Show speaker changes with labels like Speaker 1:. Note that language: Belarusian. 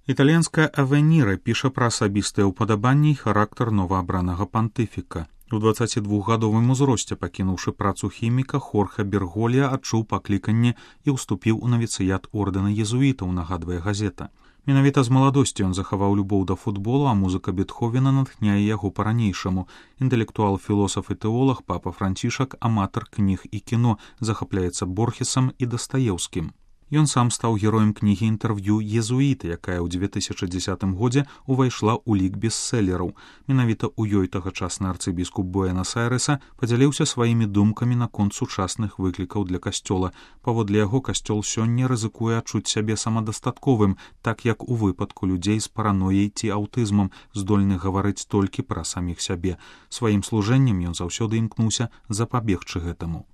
Speaker 1: Італьянская Авеніра піша пра асабістыя ўпадабанні і характар новаабранага пантыфіка. У 22-гадовым узросце, пакінуўшы працу хіміка, Хорхе Берголья адчуў пакліканне і ўступіў у навіцыят ордэна езуітаў, нагадвае газета. Менавіта з маладосці ён захаваў любоў да футболу, а музыка Бетховена натхняе яго па-ранейшаму. Інтэлектуал, філосаф і тэолог папа Францішак, аматар кніг і кіно, захапляецца Борхесам і Дастаеўскім. Ён сам стаў героем кнігі інтэрв'ю «Езуіты», якая ў 2010 годзе увайшла ў лік бестселераў. Менавіта ў ёй тагачасны арцыбіскуп Буэнас-Айрэса падзяліўся сваімі думкамі наконт сучасных выклікаў для касцёла. Паводле яго, касцёл сёння рызыкуе адчуць сябе самадастатковым, так як у выпадку людзей з паранояй ці аўтызмам, здольных гаварыць толькі пра саміх сябе. Сваім служэннем ён заўсёды імкнуўся запабегчы гэтаму.